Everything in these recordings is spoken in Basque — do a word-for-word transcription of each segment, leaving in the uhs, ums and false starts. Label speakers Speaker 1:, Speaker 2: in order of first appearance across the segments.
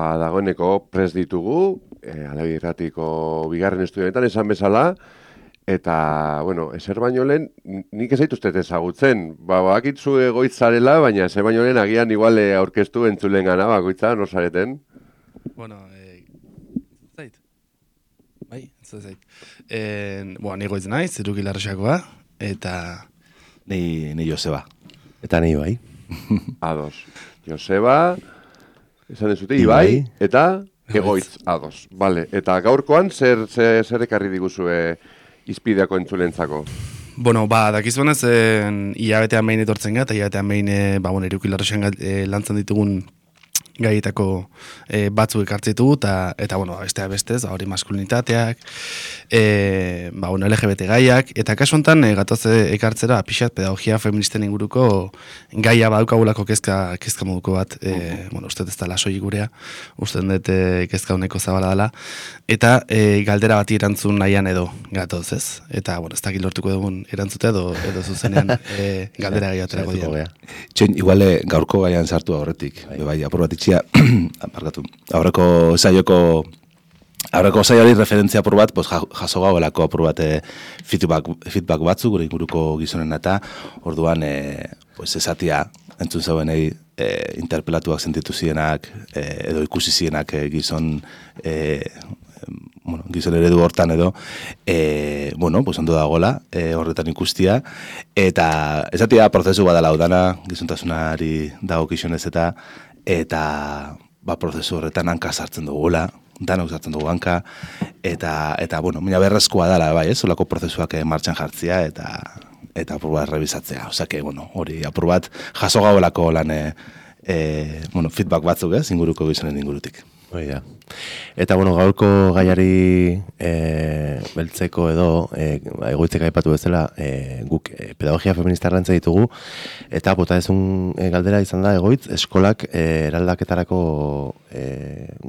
Speaker 1: ba, dagoeneko prest ditugu, e, Alegia Irratiko bigarren estudioetan esan bezala, eta, bueno, ezer baino lehen, nik ez zaituztet ezagutzen, ba, bakitzu egoitz zarela, baina ezer baino lehen agian igual aurkeztu entzulen gana, bakoitza, nor zareten?
Speaker 2: Bueno, eh, zait, bai, ez zait. Eh, bueno, ni goitz naiz, Iruki Larraxakoa, eta...
Speaker 3: Ni, ni Joseba.
Speaker 4: Eta ni bai.
Speaker 1: Ados. Joseba, esan dezute, Ibai, eta egoitz, ados. Vale. Eta gaurkoan, zer, zer, zer ekarri diguzue izpideako entzulentzako?
Speaker 2: Bueno, ba, dakizuenez, hilabetean behin etortzen gara, eta hilabetean behin, ba, bueno, Iruki Larraxan e, lantzen ditugun gaietako e, batzuk ekartzen ditugu, eta, eta bueno, bestea bestez, hori maskulinitateak, e, ba, bueno, L G B T gaiak, eta kasu honetan e, gatoz ekartzera pixat pedagogia feministen inguruko gaia badukagulako kezka, kezka moduko bat, e, bueno, uste ez da lasoik gurea, uste dut e, kezka honeko zabala dela, eta e, galdera bati erantzun nahian edo gatoz, ez? Eta, bueno, ez dakit lortuko dugun erantzute edo, edo zuzenean e, galdera gai aterako dira.
Speaker 3: Txoin, iguale gaurko gaian sartu horretik, bai, apur bat itxia, aparkatu, aurreko saioko aurreko saiori referentzia apur bat, pues, jaso gauelako apur bat e, feedback, feedback batzu, gure inguruko gizonen eta, orduan, e, pues, esatia, entzun zauenei, e, interpelatuak sentitu zienak, e, edo ikusi zienak e, gizon, e, bueno, gizon eredu hortan edo, e, bueno, pues ondo dagoela, e, horretan ikustia, eta esatia prozesu badala udana, gizontasunari dago gizonez eta, eta ba, prozesu horretan hanka sartzen dugula, danok sartzen dugu hanka, eta, eta bueno, mina berrezkoa dela, bai, ez, olako prozesuak martxan jartzia, eta eta apur bat rebizatzea, osake, bueno, hori apur bat jaso gauelako lan, e, e, bueno, feedback batzuk, ez, inguruko gizonen ingurutik.
Speaker 4: Hoi da. Eta, bueno, gaurko gaiari e, beltzeko edo, e, egoitzek aipatu bezala, e, guk e, pedagogia feminista errantza ditugu, eta bota ezun e, galdera izan da, egoitz, eskolak e, eraldaketarako e,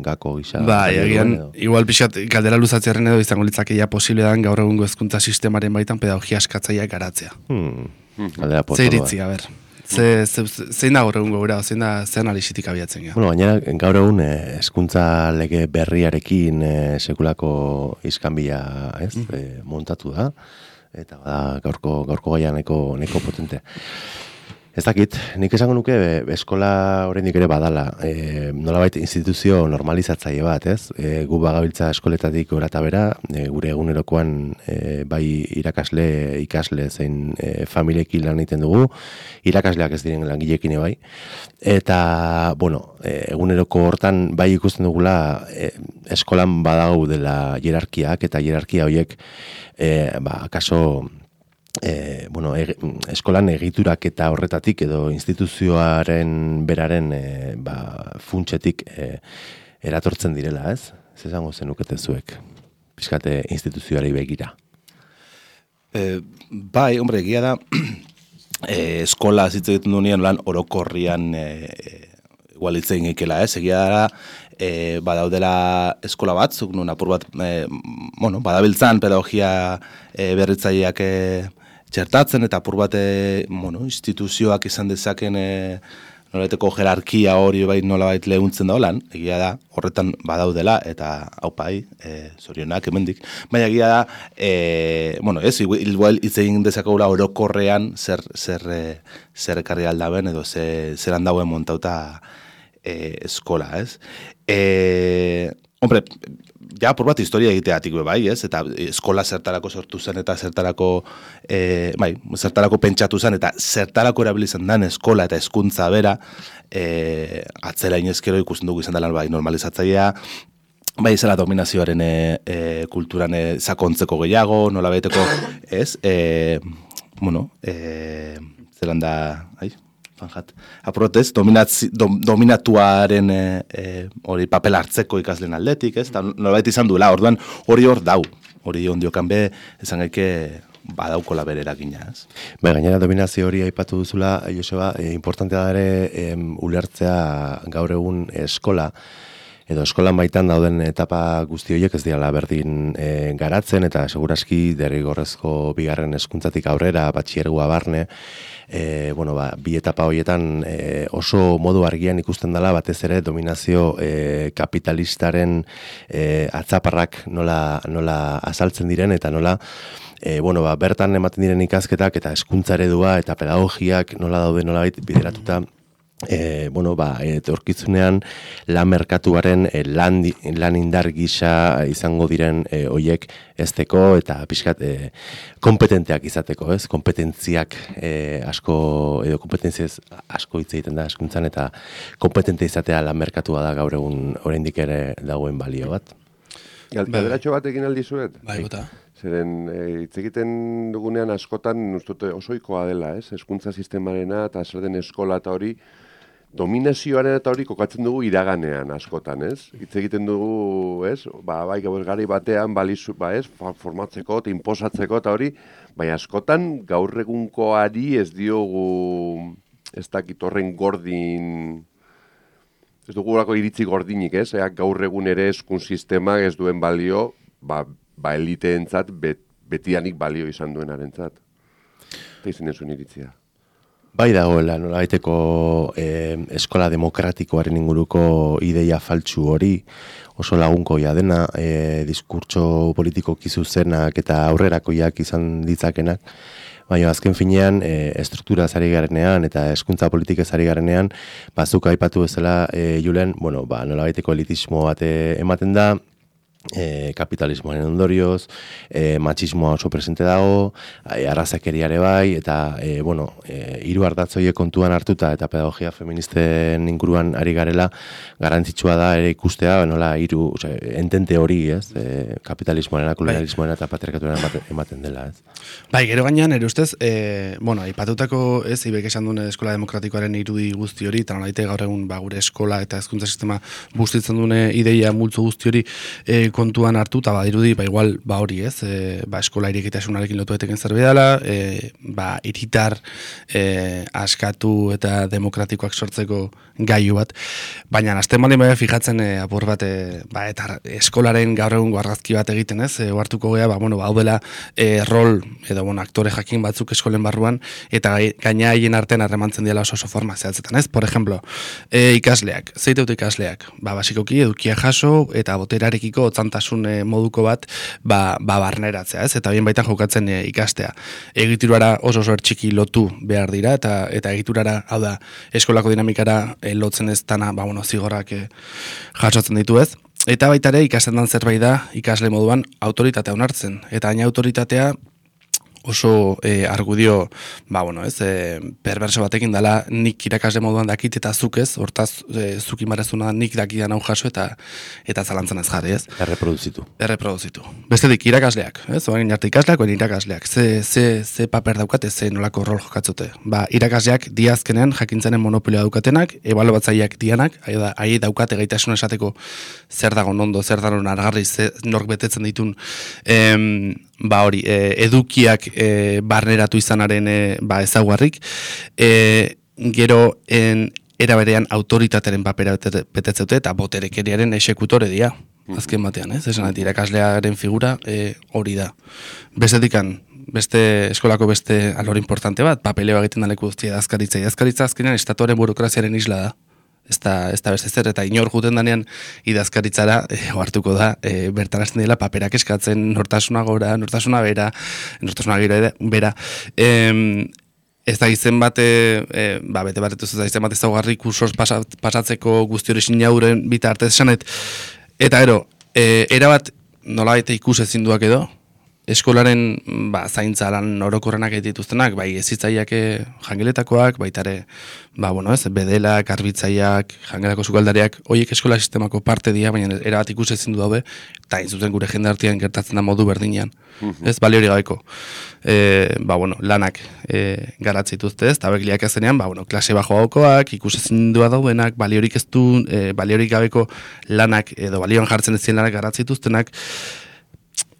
Speaker 4: gako gisa.
Speaker 2: Ba, egian, igual pixat galdera luzatzearen edo izango litzakeia posible dan gaur egungo hezkuntza sistemaren baitan pedagogia eskatzaileak garatzea.
Speaker 4: Hmm. Galdera potoloa.
Speaker 2: Ze iritzi, a ber. Ze, ze, zein da gaur egun gora, zein da zein analizitik abiatzen gara?
Speaker 4: Bueno, gainera, gaur egun hezkuntza lege berriarekin e, sekulako iskanbila, ez, mm. e, montatu da, eta bada gaurko, gaurko gaia neko, neko potente. Ez dakit, nik esango nuke be, eskola oraindik ere badala, e, nolabait instituzio normalizatzaile bat, ez? E, gu bagabiltza eskoletatik gora eta bera, e, gure egunerokoan e, bai irakasle, ikasle zein e, familiekin lan egiten dugu, irakasleak ez diren langileekin bai, eta, bueno, e, eguneroko hortan bai ikusten dugula e, eskolan badago dela hierarkiak, eta hierarkia horiek, e, ba, kaso... E, bueno, e, eskolan egiturak eta horretatik edo instituzioaren beraren e, ba, funtsetik e, eratortzen direla, ez? Ez esango zenukete zuek, pixkate instituzioari begira.
Speaker 3: E, bai, hombre, egia da, e, eskola zitze egiten duenean lan orokorrian e, igual hitz egin ekela, ez? Egia da, e, badaudela eskola batzuk, nun apur bat, e, bueno, badabiltzan pedagogia e, berritzaileak e, txertatzen, eta apur bat, e, bueno, instituzioak izan dezaken e, nolabaiteko jerarkia hori bai nolabait lehuntzen da holan, egia da, horretan badaudela, eta haupai, e, zorionak hemendik. Baina egia da, e, bueno, ez, igual hitz egin dezakegula orokorrean zer, zer, e, zer ekarri aldaben, edo ze, zer handauen montauta e, eskola, ez? E, hombre, ja, por bat historia egiteatik be bai, ez? Eta eskola zertarako sortu zen eta zertarako e, bai, zertarako pentsatu zen eta zertarako erabilizen dan eskola eta hezkuntza bera, e, atzera inezkero ikusten dugu izan dela bai normalizatzailea, bai zela dominazioaren e, e, kulturan e, sakontzeko gehiago, nola baiteko, ez? E, bueno, e, zelan da, ai, fanjat, aprotez, dom, dominatuaren hori e, papel hartzeko ikaslen aldetik, ez? Eta nolabait izan duela, orduan hori hor dau, hori ondiokan be, esan gaike badaukola bere eragina, ez?
Speaker 4: Ba, gainera dominazio hori aipatu duzula, Joseba, e, importantea da ere e, ulertzea gaur egun eskola, edo eskolan baitan dauden etapa guzti horiek ez diala berdin e, garatzen, eta seguraski derrigorrezko bigarren hezkuntzatik aurrera, batxiergoa barne, e, bueno, ba, bi etapa horietan e, oso modu argian ikusten dela batez ere dominazio e, kapitalistaren e, atzaparrak nola, nola azaltzen diren, eta nola E, bueno, ba, bertan ematen diren ikasketak eta hezkuntza eredua eta pedagogiak nola daude nola bideratuta e, bueno, ba, etorkizunean lan merkatuaren e, lan, lan indar gisa izango diren e, hoiek ezteko eta pixkat e, kompetenteak izateko, ez? Kompetentziak e, asko, edo kompetentziaz asko hitz egiten da hezkuntzan, eta kompetente izatea lan merkatua da gaur egun oraindik ere dagoen balio bat.
Speaker 1: Galderatxo bat egin aldizuet?
Speaker 2: Bai, bota.
Speaker 1: Zeren, hitz egiten dugunean askotan ustute osoikoa dela, ez? Hezkuntza sistemarena eta zer den eskola eta hori, dominazioaren eta hori kokatzen dugu iraganean askotan, ez? Hitz egiten dugu, ez? Ba, bai, gaur gari batean balizu, ba, ez? Formatzeko eta inposatzeko eta hori, bai, askotan gaur egunkoari ez diogu, ez dakit horren gordin, ez dugulako iritzi gordinik, ez? Eak gaur egun ere hezkun sistemak ez duen balio, ba, ba eliteentzat bet, betianik balio izan duenarentzat. Eta izan zuen iritzia.
Speaker 4: Bai dagoela, nola baiteko eh, eskola demokratikoaren inguruko ideia faltsu hori, oso lagunkoia dena, eh, diskurtso politiko kizuzenak eta aurrerakoiak izan ditzakenak, baina azken finean e, estruktura zari garenean eta hezkuntza politika zari garenean, bazuk aipatu bezala e, Julen, bueno, ba, nola baiteko elitismo bat ematen da, E, kapitalismoaren ondorioz, e, matxismoa oso presente dago, e, arrazakeriare bai, eta e, bueno, e, hiru ardatzoiek kontuan hartuta eta pedagogia feministen inguruan ari garela, garrantzitsua da ere ikustea, nola hiru, osea, entente hori, ez, e, kapitalismoaren, kolonialismoaren eta patriarkatuaren ematen, ematen dela, ez.
Speaker 2: Bai, gero gainean, ere ustez, e, bueno, aipatutako, ez, ibek esan duen eskola demokratikoaren irudi guzti hori, eta nolaite gaur egun ba, gure eskola eta hezkuntza sistema bustitzen duen ideia multzo guzti hori e, kontuan hartu, eta badirudi, ba, igual, ba hori, ez, e, ba, eskola irikitasunarekin lotu eteken zerbait dela, e, ba, iritar e, askatu eta demokratikoak sortzeko gaiu bat, baina azten baldin bai fijatzen e, apur bat, e, ba, eta eskolaren gaur egun argazki bat egiten, ez, e, oartuko gea, ba, bueno, ba, hau dela e, rol, edo, bueno, aktore jakin batzuk eskolen barruan, eta gaina haien artean harremantzen diela oso oso forma zehatzetan, ez, por ejemplo, e, ikasleak, zeiteut ikasleak, ba, basikoki edukia jaso, eta boterarekiko otzantasun e, moduko bat, ba, ba barneratzea, ez, eta bien baitan jokatzen e, ikastea. Egiturara oso oso txiki lotu behar dira, eta eta egiturara, hau da, eskolako dinamikara e, lotzen ez dana, ba, bueno, zigorrak e, jasotzen ditu ez. Eta baita ere ikasten dan zerbait da, ikasle moduan, autoritatea onartzen. Eta haina autoritatea oso e, argudio, ba, bueno, ez, e, perverso batekin dela nik irakasle moduan dakit eta zuk ez, hortaz e, zuk imarezuna nik dakidan hau jaso eta eta zalantzan ez jarri, ez?
Speaker 4: Erreproduzitu.
Speaker 2: Erreproduzitu. Bestetik irakasleak, ez? Oain arte ikasleak, oain irakasleak. Ze, ze, ze paper daukate, ze nolako rol jokatzute. Ba, irakasleak diazkenean jakintzaren monopolioa daukatenak, ebaluatzaileak dianak, ahi daukate gaitasun esateko zer dago nondo, zer dago argarri, ze nork betetzen ditun, em, ba hori, e, edukiak e, barneratu izanaren e, ba ezaguarrik, e, gero en era berean autoritatearen papera betetzeute eta boterekeriaren exekutore dira, azken batean, ez? Esan dut, irakaslearen figura e, hori da. Bestetikan, beste eskolako beste alor importante bat, papeleo egiten daleku guztia idazkaritza. Idazkaritza azkenean estatuaren burokraziaren isla da. Ez da, ez da beste zer, eta inor juten danean idazkaritzara e, oartuko da, e, bertan hasten dela paperak eskatzen, nortasuna gora, nortasuna bera, nortasuna gira bera. E, ez da izen bat, e, ba, bete bat, ez da izen bat ez daugarri kursos pasatzeko guzti hori sinauren bitartez esanet. Eta ero, e, erabat nola baita ikus ezinduak edo, eskolaren ba, zaintza lan orokorrenak dituztenak, bai ezitzaileak jangeletakoak, baitare, ba, bueno, ez, bedelak, garbitzaileak, jangelako sukaldariak, horiek eskola sistemako parte dira, baina erabat ikus ezin du daude, eta inzuten gure jende artean gertatzen da modu berdinean. Uh-huh. Ez, bali hori gabeko. E, ba, bueno, lanak e, garatzituzte ez, eta bekliak ezenean, ba, bueno, klase bajo haukoak, ikus ezin du daudenak, bali horik ez du, e, bali horik gabeko lanak, edo balioan jartzen ezin lanak garatzituztenak.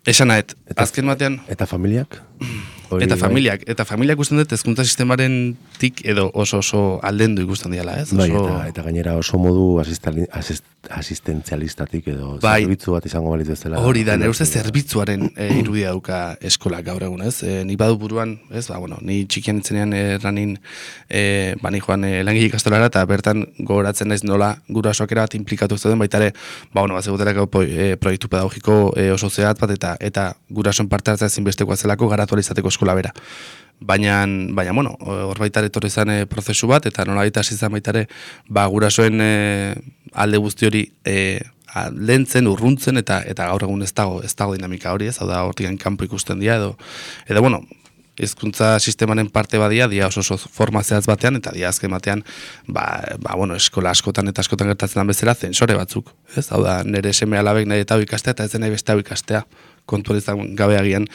Speaker 2: Esan nahet, azken batean...
Speaker 4: Eta familiak? Hori
Speaker 2: Eta
Speaker 4: bai.
Speaker 2: familiak, eta familiak ikusten dut hezkuntza sistemaren tik edo oso oso aldendu ikusten diala, ez?
Speaker 4: Bai,
Speaker 2: Oso...
Speaker 4: eta, eta gainera oso modu asistali- asist, asistentzialistatik edo
Speaker 2: Bai.
Speaker 4: zerbitzu bat izango balitz bezala.
Speaker 2: Hori da, nire uste zerbitzuaren e, irudia dauka eskolak gaur egun, ez? E, ni badu buruan, ez? Ba, bueno, ni txikian itzenean erranin, e, ba, ni joan e, langile ikastolara, eta bertan gogoratzen naiz nola gurasoak era bat implikatu zeuden, baita ere, ba, bueno, bazegotelako e, proiektu pedagogiko e, oso zehat bat, eta eta gurasoen parte hartzea zinbestekoa zelako garatu izateko eskola bera. Baina, baina, bueno, hor baita etorri zen e, prozesu bat, eta nola baita hasi zen baita ere, ba, gurasoen e, alde guzti hori e, lentzen, urruntzen, eta eta gaur egun ez dago, ez dago dinamika hori, ez, hau da, hortikan kanpo ikusten dira, edo, edo, bueno, hezkuntza sistemaren parte badia, dia oso oso forma zehatz batean, eta dia azken batean, ba, ba, bueno, eskola askotan eta askotan gertatzen den bezala, zensore batzuk, ez, hau da, nire seme alabek nahi eta hau ikastea, eta ez nahi beste hau ikastea, kontuan izan gabe agian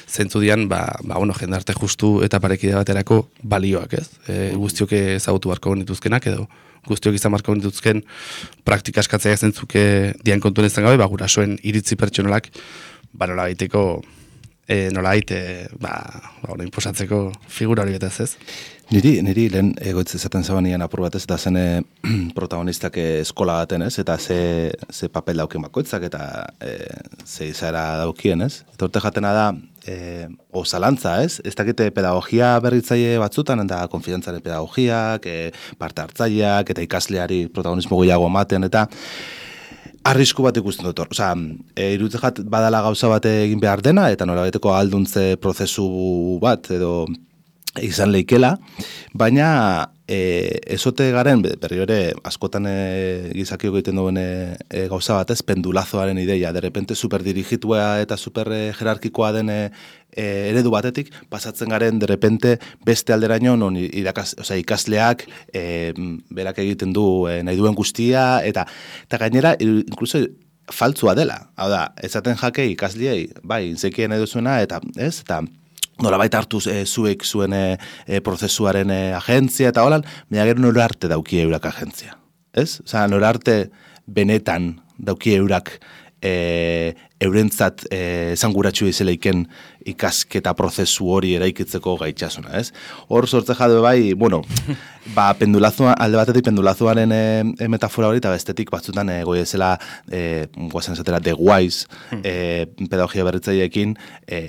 Speaker 2: zentzu dian, ba, ba, bueno, jendarte justu eta parekide baterako balioak, ez, e, guztiok ezagutu barko nituzkenak, edo, guztiok izan marko dituzken praktika eskatzea zentzuke dian kontuen izan gabe, ba, gurasoen iritzi pertsonalak, ba, nola baiteko, e, nola baite, ba, ba, inposatzeko figura hori betaz, ez?
Speaker 3: Niri, niri lehen egoitz ezaten zabanian apur batez, eta zen e, protagonistak eskola baten, ez? Eta ze, ze papel daukien bakoitzak, eta e, ze izaera daukien, ez? Eta urte jatena da, e, o zalantza, ez? Ez dakite pedagogia berritzaile batzutan, eta konfidantzaren pedagogiak, e, parte hartzaileak, eta ikasleari protagonismo gehiago ematen, eta arrisku bat ikusten dut. Osea, e, iruditzen jat badala gauza bat egin behar dena, eta norabeteko alduntze prozesu bat, edo izan leikela, baina e, ezote garen, berri ere, askotan e, gizakiok egiten duen e, e, gauza batez, pendulazoaren ideia, de repente superdirigitua eta super e, jerarkikoa den e, e, eredu batetik, pasatzen garen, de repente, beste alderaino, non irakas, osea, ikasleak e, berak egiten du e, nahi duen guztia, eta, eta gainera, inkluso, faltzua dela. Hau da, ezaten jake ikasliei, bai, inzekien edo zuena, eta, ez, eta, nolabait hartuz e, zuek zuen e, e, prozesuaren e, agentzia eta holan, baina gero nora arte dauki eurak agentzia. Ez? Osa, nora arte benetan dauki eurak e, eurentzat e, zanguratxu izeleiken ikasketa prozesu hori eraikitzeko gaitxasuna, ez? Hor sortze jade bai, bueno, ba, pendulazua, alde batetik pendulazuaren e, e, metafora hori, eta bestetik batzutan e, goi ezela, e, guazen esatera, The Wise, e, pedagogia berritzaileekin, e,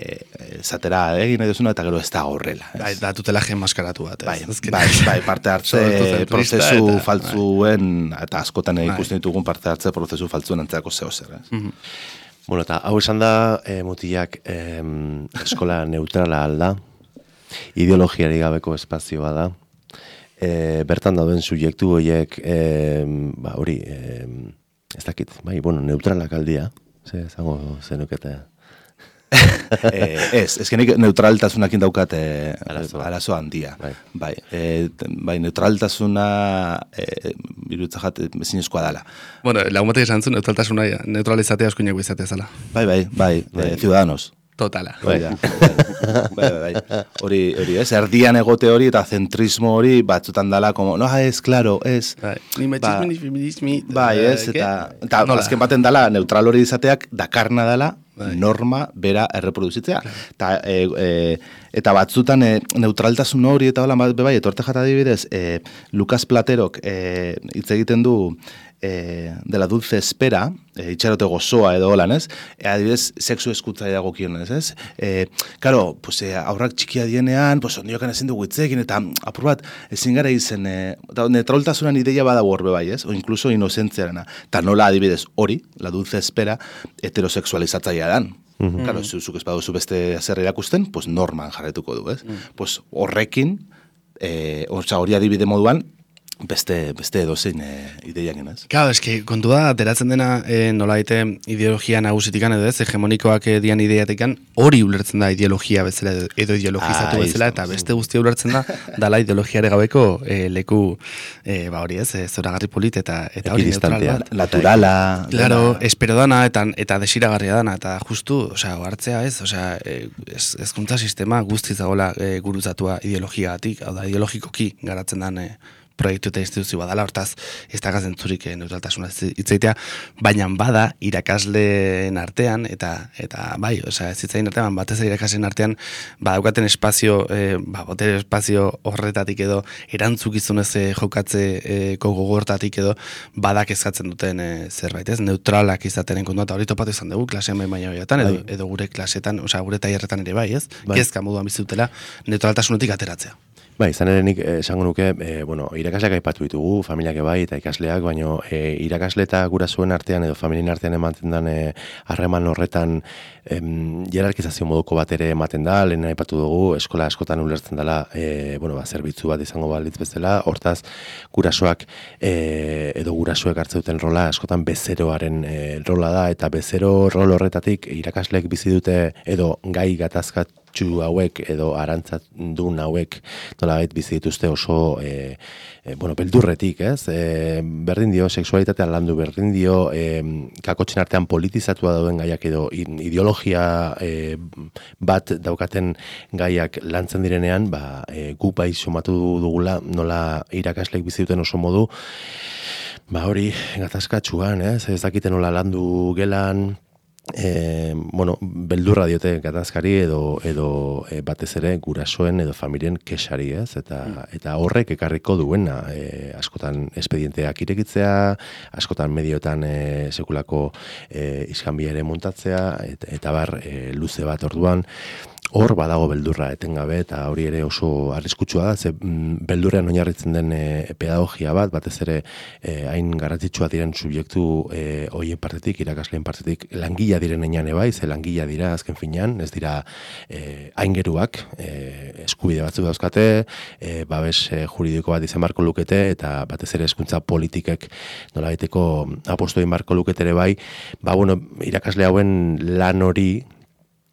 Speaker 3: esatera egin nahi duzuna, eta gero ez da horrela.
Speaker 2: Bai, da tutela gen maskaratu bat, ez?
Speaker 3: Bai,
Speaker 2: Azkenean.
Speaker 3: bai, bai, parte hartze
Speaker 2: Sortu
Speaker 3: prozesu
Speaker 2: eta-
Speaker 3: faltzuen, eta askotan
Speaker 2: Bai.
Speaker 3: ikusten ditugun parte hartze prozesu faltzuen antzerako zeo zer, ez?
Speaker 4: Bueno, eta hau esan da, e, mutilak e, eskola neutrala alda, ideologiari gabeko espazioa da, e, bertan dauden subjektu horiek, e, ba, hori, e, ez dakit, bai, bueno, neutralak aldia, ze, zango zenukete.
Speaker 3: eh, ez, ezkenik neutraltasunakin daukat eh,
Speaker 4: Arazo.
Speaker 3: arazo handia.
Speaker 4: Bai.
Speaker 3: Bai, eh, bai neutraltasuna eh, iruditza jat ezinezkoa dela.
Speaker 2: Bueno, lagun batek esan zuen, neutraltasuna neutralizatea eskuineko izatea zala.
Speaker 3: Bai, bai, bai, eh, ciudadanos.
Speaker 2: Totala.
Speaker 3: Bai, da. bai, bai, bai. Hori, hori, ez, erdian egote hori eta zentrismo hori batzutan dala, como, no, ez, claro, ez.
Speaker 2: Bai, ni machismo,
Speaker 3: Ba-
Speaker 2: ni feminismi.
Speaker 3: Bai, ez,
Speaker 2: eh,
Speaker 3: eta,
Speaker 2: ¿qué?
Speaker 3: eta
Speaker 2: Nola?
Speaker 3: azken baten dala, neutral hori izateak dakarna dala,
Speaker 2: Bai.
Speaker 3: norma bera erreproduzitzea. Eta, e, e, eta batzutan e, neutraltasun hori eta hola, be bai, etorte jata adibidez, e, Lucas Platerok e, hitz egiten du e, dela dulce espera, e, itxarote gozoa edo holan, ez? E, adibidez, sexu eskutza dagokionez, ez? E, karo, pues, e, aurrak txikia dienean, pues, ondiokan ezin dugu hitzekin, eta apur bat, ezin gara izen, e, eta neutraltasunan ideia badago horbe bai, ez? O incluso inocentziarena. Eta nola adibidez hori, la dulce espera, heterosexualizatzaia dan. Claro, zuzuk ez baduzu beste zer erakusten, pues norman jarretuko du, ez? Pues horrekin, eh, ortsa hori adibide moduan, beste, beste edozein e, ideiak genaz.
Speaker 2: Claro, eske kontu da, ateratzen dena e, nola daite ideologia nagusitikan edo ez, hegemonikoak e, dian ideiatikan, hori ulertzen da ideologia bezala edo, edo ideologizatu
Speaker 3: Ah,
Speaker 2: bezala, eta beste guztia ulertzen da, dala ideologiare gabeko e, leku, e, ba hori ez, e, zoragarri polit eta eta hori neutral
Speaker 4: Ekidistantea.
Speaker 2: bat.
Speaker 3: Naturala.
Speaker 2: Claro,
Speaker 3: dena.
Speaker 2: espero dana eta eta desiragarria dana eta justu, osea, hartzea ez, osea, e, ez, ezkuntza sistema guztiz dagoela e, gurutzatua ideologiagatik, hau da ideologikoki garatzen dan e, proiektu eta instituzio badala, hortaz ez da gazentzurik neutraltasuna itzaitea, baina bada irakasleen artean, eta eta bai, osea, ez zitzain artean, batez irakasleen artean, badaukaten espazio, e, ba, botere espazio horretatik edo, erantzukizunez e, jokatze e, gogortatik edo, badak eskatzen duten e, zerbait, ez? Neutralak izatenen kontua, eta hori topatu izan dugu, klasean bai baina horietan, edo, edo gure klasetan, osea, gure tailerretan ere bai, ez? Bai. Kezka moduan bizitutela, neutraltasunetik ateratzea.
Speaker 4: Bai, izan ere nik esango nuke, e, bueno, irakasleak aipatu ditugu, familiak bai eta ikasleak, baina e, irakasle eta gurasoen artean edo familien artean ematen den harreman horretan em, jerarkizazio moduko bat ere ematen da, lehen aipatu dugu, eskola askotan ulertzen dela, e, bueno, ba, zerbitzu bat izango balitz bezala, hortaz gurasoak e, edo gurasoek hartzen duten rola askotan bezeroaren e, rola da, eta bezero rol horretatik irakasleek bizi dute edo gai gatazkat hauek edo arantzadun hauek nolabait bizi dituzte oso e, e, bueno, beldurretik, ez? E, berdin dio sexualitatea landu, berdin dio e, kakotxen artean politizatua dauden gaiak edo ideologia e, bat daukaten gaiak lantzen direnean, ba, e, gu bai somatu dugula nola irakasleek bizi duten oso modu, ba hori gatazkatsuan, ez? Ez dakiten nola landu gelan, E, bueno, beldurra diote gatazkari edo, edo e, batez ere gurasoen edo familien kesari, ez? Eta, eta horrek ekarriko duena, e, askotan espedienteak irekitzea, askotan medioetan e, sekulako e, iskanbia ere montatzea, eta, eta bar e, luze bat orduan, hor badago beldurra etengabe, eta hori ere oso arriskutsua da, ze beldurrean oinarritzen den e, pedagogia bat, batez ere e, hain garrantzitsua diren subjektu e, hoien partetik, irakasleen partetik, langila diren enean ebai, ze langila dira azken finean, ez dira e, aingeruak, e, eskubide batzuk dauzkate, e, babes e, juridiko bat izan barko lukete, eta batez ere hezkuntza politikek nolabaiteko apostoin barko lukete ere bai, ba bueno, irakasle hauen lan hori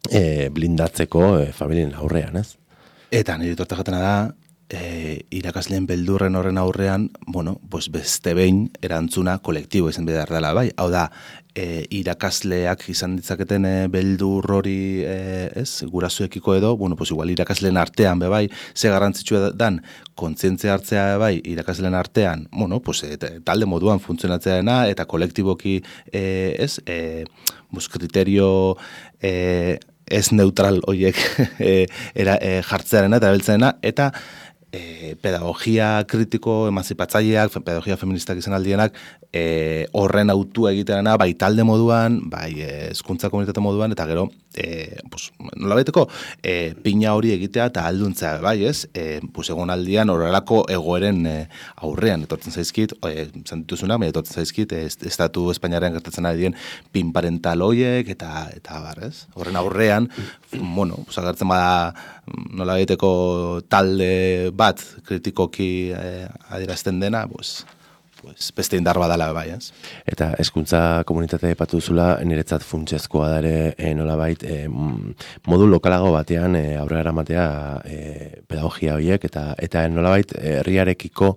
Speaker 4: E, blindatzeko e, familien aurrean, ez?
Speaker 3: Eta nire tortajatena da, e, irakasleen beldurren horren aurrean, bueno, pues beste behin erantzuna kolektibo izan behar dela, bai? Hau da, e, irakasleak izan ditzaketen e, beldur hori, e, ez? Gurasoekiko edo, bueno, pues igual irakasleen artean, be bai, ze garrantzitsua dan, kontzientzia hartzea bai, irakasleen artean, bueno, pues e, talde moduan funtzionatzeena, eta kolektiboki, e, ez? E, bus, kriterio, e, ez neutral horiek e, era, e, jartzearena eta erabiltzearena, eta e, pedagogia kritiko emanzipatzaileak, pedagogia feministak izan aldienak, e, horren autua egitearena, bai talde moduan, bai hezkuntza komunitate moduan, eta gero, e, pues, nolabaiteko, e, pina hori egitea eta alduntzea, bai ez, e, pues, egon aldian horrelako egoeren e, aurrean, etortzen zaizkit, e, zantituzuna, baina etortzen zaizkit, e, estatu Espainiaren gertatzen ari dien pin parental hoiek, eta, eta bar, ez? Horren aurrean, bueno, pues, agertzen bada nolabaiteko talde bat kritikoki e, adierazten dena, pues, pues, beste indar badala bai, ez?
Speaker 4: Eta hezkuntza komunitatea aipatu duzula, niretzat funtsezkoa da ere e, nolabait e, modu lokalago batean e, aurrera eramatea e, pedagogia horiek eta eta nolabait herriarekiko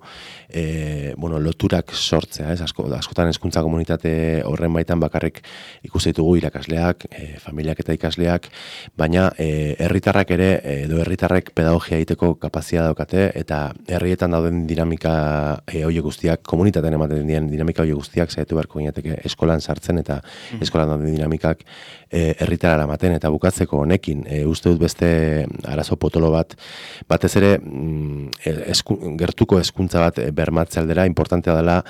Speaker 4: e, bueno, loturak sortzea, ez? Asko, askotan hezkuntza komunitate horren baitan bakarrik ikusi ditugu irakasleak, e, familiak eta ikasleak, baina e, herritarrak ere edo herritarrek pedagogia egiteko kapazitatea daukate eta herrietan dauden dinamika e, horiek guztiak komunitatea komunitatean ematen dien dinamika hori guztiak saiatu beharko ginateke eskolan sartzen eta mm. eskolan dauden dinamikak herritara e, eramaten eta bukatzeko honekin e, uste dut beste arazo potolo bat batez ere mm, esku, gertuko hezkuntza bat bermatzea aldera importantea dela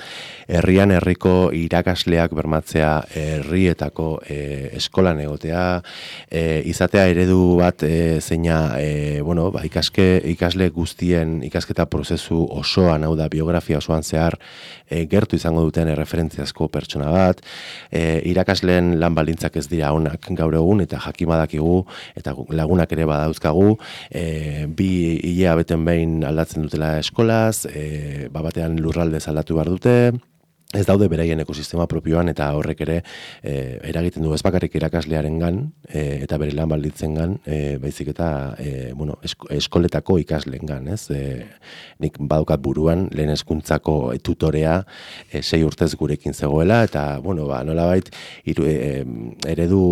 Speaker 4: herrian herriko irakasleak bermatzea herrietako e, eskolan egotea e, izatea eredu bat e, zeina e, bueno, ba, ikaske, ikasle guztien ikasketa prozesu osoan, hau da biografia osoan zehar E, gertu izango duten erreferentziazko pertsona bat, e, irakasleen lan baldintzak ez dira onak gaur egun eta jakimadakigu eta lagunak ere badauzkagu, e, bi hilea beten behin aldatzen dutela eskolaz, e, batean lurraldez aldatu behar dute, ez daude beraien ekosistema propioan, eta horrek ere e, eragiten du ez bakarrik irakaslearen gan, e, eta bere lan balditzen gan, e, baizik eta e, bueno, esko, eskoletako ikasleen gan, ez? E, nik badukat buruan, lehen hezkuntzako tutorea e, sei urtez gurekin zegoela, eta, bueno, ba, nolabait, iru, e, eredu,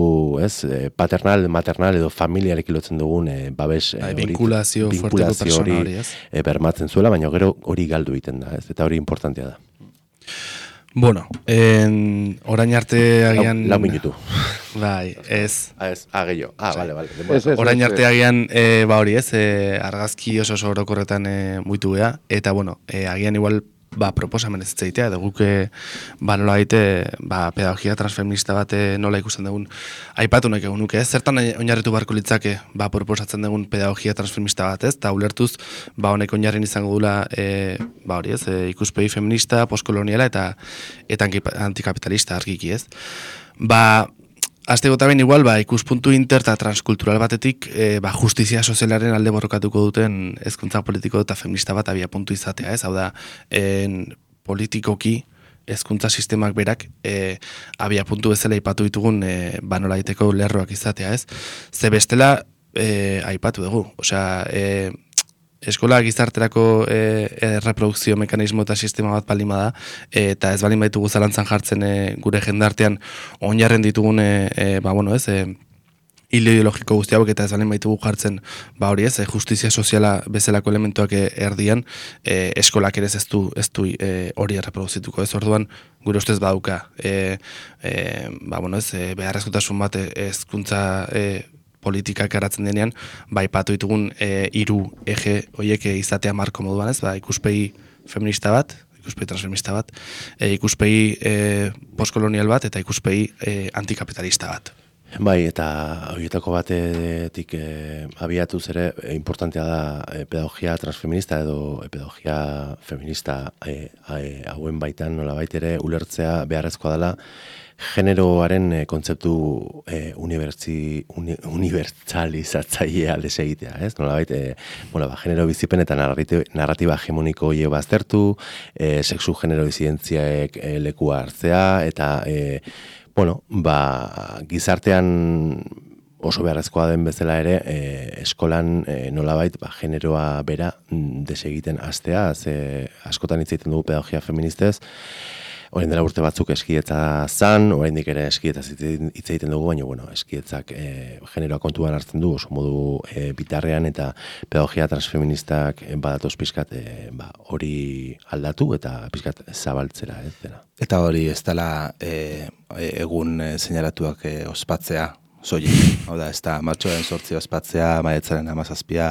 Speaker 4: ez, paternal, maternal edo familiarekin lotzen dugun e, babes e,
Speaker 2: hori, vinkulazio, vinkulazio hori,
Speaker 4: hori e, bermatzen zuela, baina gero hori galdu egiten da, ez? Eta hori importantea da.
Speaker 2: Bueno, en, orain arte agian...
Speaker 4: Lau, lau minutu.
Speaker 2: Bai, ez.
Speaker 4: Ah, ez, ah, gehiago. Ah, bale, bale.
Speaker 1: Ez, ez,
Speaker 2: orain
Speaker 1: ez,
Speaker 2: arte
Speaker 1: ez.
Speaker 2: agian, e, ba hori ez, e, argazki oso oso orokorretan e, muitu gea, eta bueno, e, agian igual ba, proposamen ez zeitea, edo guke ba, nola gaite, ba, pedagogia transfeminista bat nola ikusten dugun aipatu nahi egun nuke, ez? Zertan oinarritu barko litzake ba, proposatzen dugun pedagogia transfeminista bat, ez? Ta ulertuz, ba, honek oinarrin izango dula e, ba, hori ez, e, ikuspegi feminista, postkoloniala eta eta antikapitalista argiki, ez? Ba, Aste gota ben igual, ba, ikuspuntu inter eta transkultural batetik e, ba, justizia sozialaren alde borrokatuko duten hezkuntza politiko eta feminista bat abia puntu izatea, ez? Hau da, en, politikoki hezkuntza sistemak berak e, abia puntu bezala aipatu ditugun e, banola egiteko lerroak izatea, ez? Ze bestela e, aipatu dugu, osea, e, eskola gizarterako e, erreprodukzio mekanismo eta sistema bat balima da, e, eta ez balin baitugu zalantzan jartzen e, gure jendartean oinarren ditugun e, e, ba, bueno, ez, e, hilo ideologiko guzti hauek eta ez balin baitugu jartzen, ba hori ez, e, justizia soziala bezalako elementuak e, erdian, e, eskolak ere ez du, ez du e, hori erreproduzituko, ez orduan gure ustez badauka, e, e, ba, bueno, ez, e, beharrezkotasun bat hezkuntza e, politikak garatzen denean, bai patu ditugun e, iru eje horiek izatea marko moduan, ez, ba, ikuspegi feminista bat, ikuspegi transfeminista bat, e, ikuspegi e, postkolonial bat, eta ikuspegi e, antikapitalista bat.
Speaker 4: Bai, eta horietako batetik e, abiatuz ere e, importantea da e, pedagogia transfeminista edo e, pedagogia feminista e, e, hauen baitan nolabait ere ulertzea beharrezkoa dela generoaren e, kontzeptu e, unibertsi, uni, unibertsalizatzailea desegitea, ez? Nolabait, e, bueno, ba, genero bizipen eta narratiba, narratiba hegemoniko hile baztertu, e, sexu genero disidentziaek e, lekua hartzea, eta e, bueno, ba, gizartean oso beharrezkoa den bezala ere, e, eskolan e, nolabait ba, generoa bera desegiten hastea, ze askotan hitz egiten dugu pedagogia feministez, orain dela urte batzuk eskietza zan, oraindik ere eskietza hitz egiten dugu, baina bueno, eskietzak e, generoa kontuan hartzen du, oso modu e, bitarrean, eta pedagogia transfeministak e, badatoz pixkat e, ba, hori aldatu eta pixkat zabaltzera, ez dena.
Speaker 3: Eta hori ez dela e, egun e, seinalatuak e, ospatzea, soilik, hau da, ez da, martxoaren sortzi ospatzea, maiatzaren hamazazpia,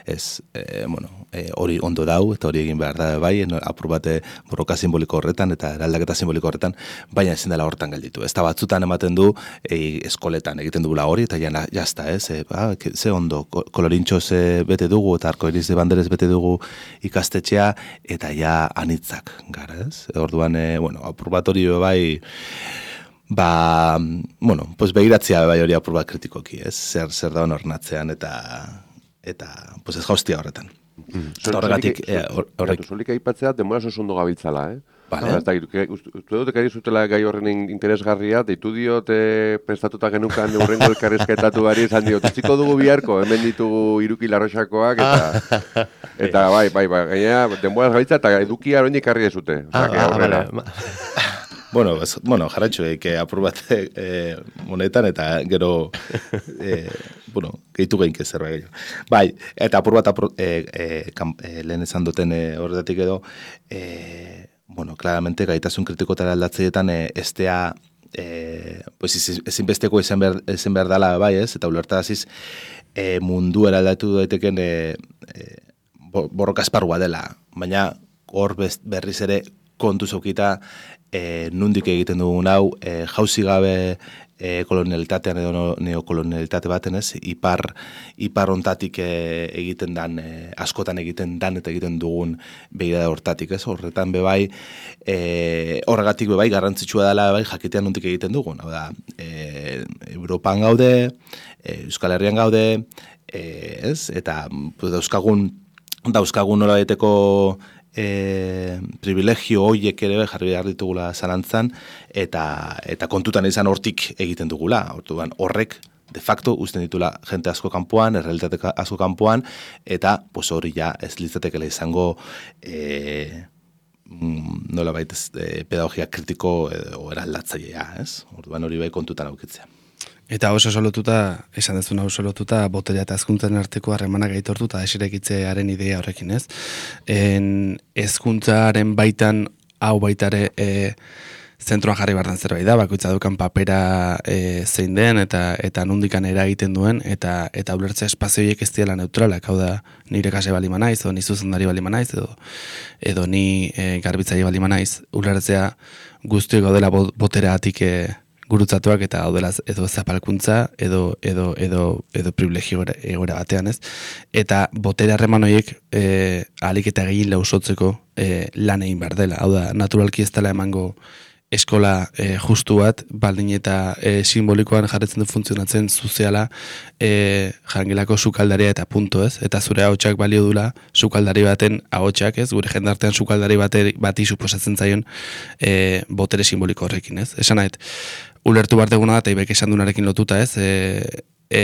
Speaker 3: ez, e, bueno, e, hori ondo dau, eta hori egin behar da, bai, no, apur bate borroka simboliko horretan, eta eraldaketa simboliko horretan, baina ezin dela hortan gelditu. Ez da, batzutan ematen du, e, eskoletan egiten dugula hori, eta jana, jazta, ez, e, ba, ze ondo, kolorintxo ze bete dugu, eta arkoiriz de banderez bete dugu ikastetxea, eta ja anitzak, gara, ez? Orduan, e, bueno, apur bat hori bai, ba, bueno, pues begiratzea bai hori apur bat kritikoki, ez? Zer, zer da ornatzean eta eta pues ez jaustia horretan.
Speaker 1: Mm.
Speaker 3: Horregatik, horrek...
Speaker 1: Solik aipatzea, denbora oso ondo gabiltzala, eh?
Speaker 3: Vale.
Speaker 1: Uste dut ekari zutela gai horren interesgarria, deitu diot e, prestatuta genukan urrengo elkarrezketatu gari, esan diot, utziko dugu biharko, hemen ditugu Iruki Larroxakoak, eta, eta bai, bai, bai, gainera, denbora gabiltza, eta edukia hori ikarri ezute.
Speaker 4: Ah, ah, vale.
Speaker 3: Bueno, ez, bueno, jarratxo eik apur bat e, monetan, eta gero, e, bueno, gehitu geinke zerbait gehiago. Bai, eta apur bat apur, e, e, kam, e, lehen esan duten e, horretatik edo, e, bueno, claramente gaitasun kritikotara aldatzeetan e, estea, e, pues ezinbesteko izan behar, izan behar dala, bai ez, eta ulertaraziz e, mundu eraldatu daiteken e, e, borroka esparrua dela, baina hor berriz ere kontu zaukita, E, nundik egiten dugun hau, e, jauzi gabe e, kolonialitatean edo neokolonialitate baten ez, ipar, ipar ontatik e, egiten dan, e, askotan egiten dan eta egiten dugun begirada hortatik ez, horretan bebai, e, horregatik bebai garrantzitsua dela bebai jakitean nundik egiten dugun, hau da, e, Europan gaude, e, Euskal Herrian gaude, e, ez, eta pues, dauzkagun, dauzkagun nola daiteko e, privilegio hoiek ere jarri behar ditugula zalantzan, eta, eta kontutan izan hortik egiten dugula. Orduan, horrek, de facto, uzten ditula jente asko kanpoan, errealitate asko kanpoan, eta pues, hori ja ez litzatekela izango e, nola baita e, pedagogia kritiko edo eraldatzailea, ez? Orduan hori bai kontutan aukitzea.
Speaker 2: Eta oso solotuta, esan dezuna oso solotuta, boterea eta hezkuntzaren arteko harremanak aitortu eta esirekitzearen idea horrekin, ez? En hezkuntzaren baitan, hau baitare, e, zentroan jarri bardan zerbait da, bakoitza dukan papera e, zein den, eta eta nondikan eragiten duen, eta eta ulertzea espazioiek ez diela neutralak, hau da, nire kase bali manaiz, edo ni zuzendari bali manaiz, edo, edo ni e, garbitzaile bali manaiz, ulertzea guztiok gaudela boteraatik e, gurutzatuak eta daudela edo zapalkuntza edo edo edo edo privilegio egoera batean, ez? Eta botere harreman horiek eh ahalik eta gehien lausotzeko eh lan egin behar dela. Hau da, naturalki ez dela emango eskola e, justu bat, baldin eta e, simbolikoan jarretzen du funtzionatzen soziala e, jangelako sukaldaria eta punto, ez? Eta zure ahotsak balio dula sukaldari baten ahotsak, ez? Gure jendartean sukaldari bate, bati suposatzen zaion e, botere simboliko horrekin, ez? Esan nahet, ulertu behar deguna da, eta ibek esan dunarekin lotuta, ez? E, e,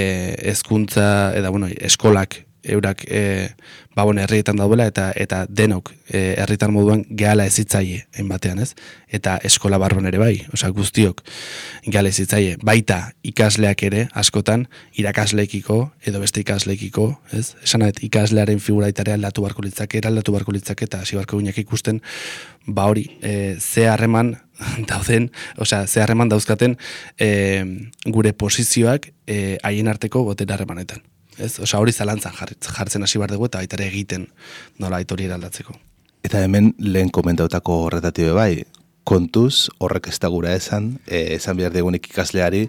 Speaker 2: ezkuntza, eta bueno, eskolak eurak e, babon herrietan daudela eta eta denok e, herritar moduan gehala ezitzaile batean, ez? Eta eskola barron ere bai, osea guztiok gehala ezitzaile, baita ikasleak ere askotan irakasleekiko edo beste ikasleekiko, ez? Esan nahet ikaslearen figura itarea aldatu barko litzake, eraldatu barko litzake eta hasi barko ginak ikusten ba hori, e, ze harreman dauden, osea, ze harreman dauzkaten e, gure posizioak e, haien arteko botere harremanetan. Ez? Osa hori zalantzan jartzen hasi behar dugu eta baita ere egiten nola hori eraldatzeko.
Speaker 3: Eta hemen lehen komentautako horretatik bai, kontuz horrek ez da gura esan, e, esan behar degunik ikasleari,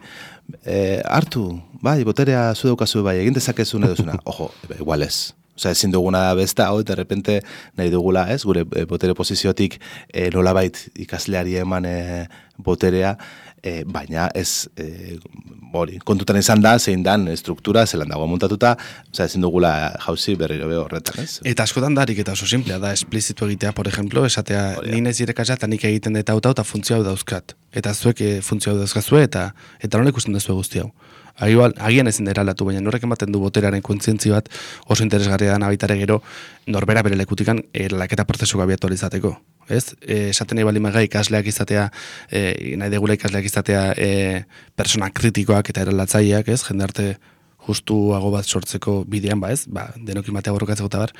Speaker 3: e, hartu, bai, boterea zu daukazu bai, egin dezakezun edo zuna, ojo, igual ez. Osea, ezin duguna da besta, hau, eta repente nahi dugula, ez, gure e, botere posiziotik e, nolabait ikasleari eman e, boterea, e, baina ez, e, hori, kontutan izan da, zein dan struktura, zelan dago montatuta, osea, ezin dugula jauzi berriro be horretan, ez?
Speaker 2: Eta askotan darik eta oso simplea da, esplizitu egitea, por ejemplo, esatea, ni naiz irakasle eta nik egiten dut hau eta funtzio hau dauzkat. Eta zuek e, funtzio hau dauzkazue, eta eta nola ikusten duzu guzti hau. Agian, agian ezin da eraldatu, baina norrek ematen du boteraren kontzientzi bat oso interesgarria da baitare gero norbera bere lekutikan eraldaketa prozesu abiatu izateko. Ez? E, esaten nahi bali maga ikasleak izatea, e, nahi degula ikasleak izatea e, persona kritikoak eta eraldatzaileak, ez? Jendarte justuago bat sortzeko bidean, ba ez? Ba, denokin batea borrokatzeko eta bar,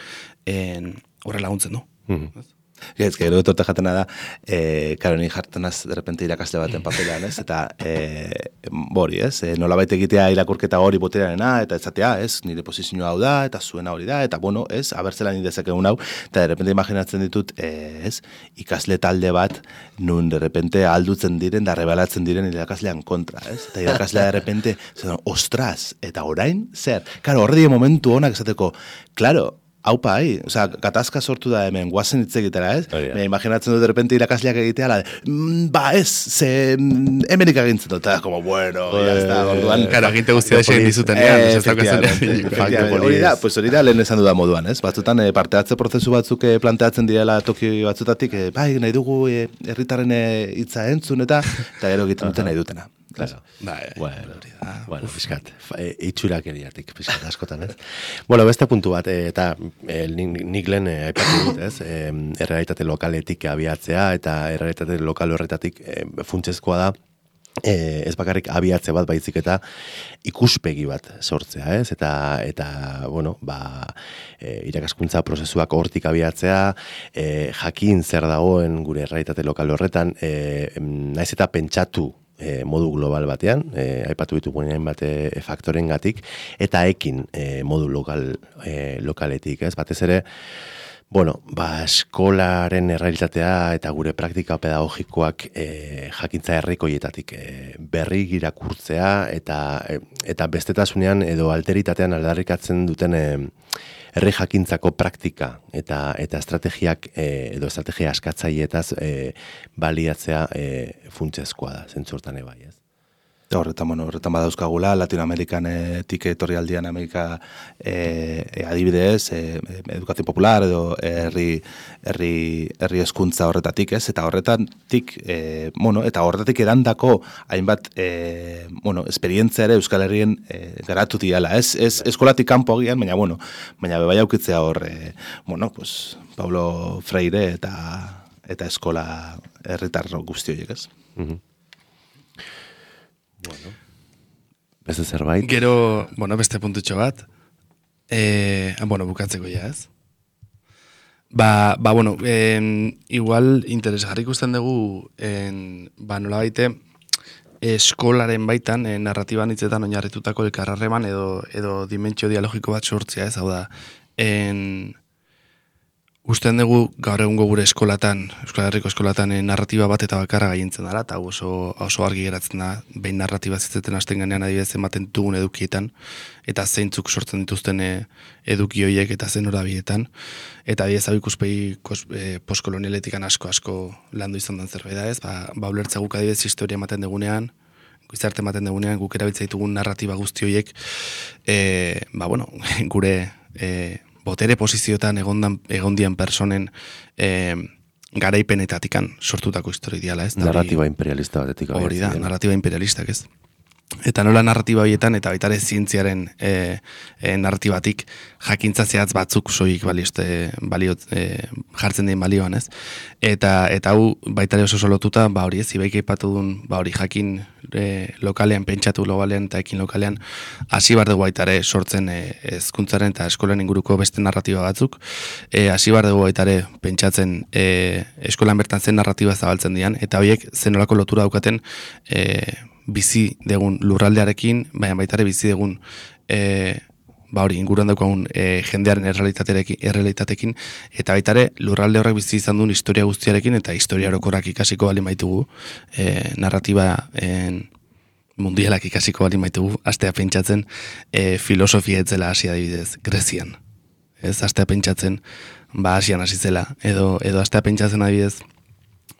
Speaker 2: horre laguntzen du. Mm-hmm.
Speaker 3: Ez, gero etorte jatena da, e, karo, ni jartenaz derrepente irakasle baten papelan, ez? Eta, e, bori, ez? E, nola baita egitea irakurketa hori boterearena, eta ezatea, ez? Nire posizioa hau da, eta zuena hori da, eta, bueno, ez? Abertzela nire dezakegun hau, eta derrepente imaginatzen ditut, e, ez? Ikasle talde bat, nun derrepente aldutzen diren, da rebalatzen diren irakaslean kontra, ez? Eta irakaslea derrepente, zer, ostras, eta orain, zer? Karo, horre die momentu honak esateko, klaro, haupa, hai, osea, gatazka sortu da hemen, guazen hitz egitera, ez? Oh, yeah. Me imaginatzen dut, de repente, irakasleak egitea, la de, mm, ba, ez, ze, mm, hemenik agintzen dut, eta, como, bueno, oh, ya está, orduan.
Speaker 2: Claro, aginte guztia da xein dizutenean, ez ez daukazen.
Speaker 3: Hori da, pues hori da lehen esan dudan moduan, ez? Batzutan, eh, parteatze prozesu batzuk eh, planteatzen direla toki batzutatik, eh, bai, nahi dugu herritarren eh, hitza entzun, eta, eta gero egiten duten nahi dutena.
Speaker 4: Claro. Bai, bueno, bueno, fiskat, e, itxurak eriatik, fiskat askotan, ez? Bueno, beste puntu bat, e, eta e, nik lehen e, aipatu dut, ez? E, errealitate lokaletik abiatzea, eta errealitate lokal horretatik e, funtsezkoa da, e, ez bakarrik abiatze bat baizik eta ikuspegi bat sortzea, ez? Eta, eta bueno, ba, e, irakaskuntza prozesuak hortik abiatzea, e, jakin zer dagoen gure errealitate lokal horretan, e, naiz eta pentsatu E, modu global batean, e, aipatu ditugu hainbat e, faktorengatik, eta ekin e, modu lokal, e, lokaletik, ez? Batez ere, bueno, ba, eskolaren errealitatea eta gure praktika pedagogikoak e, jakintza herrikoietatik e, berri irakurtzea eta, e, eta bestetasunean edo alteritatean aldarrikatzen duten e, herri jakintzako praktika eta eta estrategiak e, edo estrategia askatzaileetaz e, baliatzea e, funtsezkoa da, zentzu hortan ebai, ez?
Speaker 3: Horretan, bueno, horretan badauzkagula, Latinoamerikanetik etorri aldian Amerika e, e, adibidez, e, edukazio popular edo herri herri herri hezkuntza horretatik, ez? Eta horretatik, e, bueno, eta horretatik erandako hainbat e, bueno, esperientzia ere Euskal Herrien e, garatu diala, ez? Ez eskolatik kanpo agian, baina bueno, baina bai aukitzea hor, e, bueno, pues Paulo Freire eta eta eskola herritarro guzti horiek, ez?
Speaker 4: Mhm. Bueno, beste zerbait?
Speaker 2: Gero, bueno, beste puntutxo bat, e, bueno, bukatzeko ja, ez? Ba, ba bueno, en, igual interesgarri ikusten dugu, en, ba, nola baite, eskolaren baitan, en, narratiban hitzetan oinarritutako elkarrarreman edo, edo dimentsio dialogiko bat sortzea, ez hau da, en, usten dugu gaur egungo gure eskolatan, Euskal Herriko eskolatan e, narratiba bat eta bakarra gaientzen dara, eta oso, oso argi geratzen da, behin narratiba zitzeten hasten ganean adibidez ematen dugun edukietan, eta zeintzuk sortzen dituzten e, eduki horiek eta zen horabietan, eta adibidez hau ikuspegi e, postkolonialetikan asko-asko landu izan den zerbait da ez, ba, ba ulertza guk adibidez historia ematen dugunean, gizarte ematen dugunean, guk erabiltza ditugun narratiba guzti horiek, e, ba bueno, gure e, botere posizioetan egondan, egondian personen e, garaipenetatikan sortutako historia ideala, ez?
Speaker 4: Narratiba imperialista batetik.
Speaker 2: Hori da, narratiba imperialistak, ez? Eta nola narratiba horietan, eta baita ere zientziaren e, e, narratibatik jakintza zehatz batzuk soik balioste, baliot, e, jartzen dien balioan, ez? Eta eta hau baita ere oso solotuta, ba hori ez, ibaik aipatu duen, ba hori jakin e, lokalean, pentsatu globalean eta ekin lokalean, hasi bar dugu baita ere sortzen hezkuntzaren e, eta eskolan inguruko beste narratiba batzuk, e, hasi bar dugu baita ere pentsatzen e, eskolan bertan zen narratiba zabaltzen dian, eta horiek zenolako lotura daukaten e, bizi degun lurraldearekin, baina baita ere bizi degun e, ba hori, inguruan daukagun e, jendearen errealitatekin, eta baita ere lurralde horrek bizi izan duen historia guztiarekin, eta historia orokorrak ikasiko bali maitugu, e, narratiba en, mundialak ikasiko bali maitugu, astea pentsatzen e, filosofia etzela hasi adibidez, Grezian. Ez, astea pentsatzen, ba Asian hasi zela, edo, edo astea pentsatzen adibidez,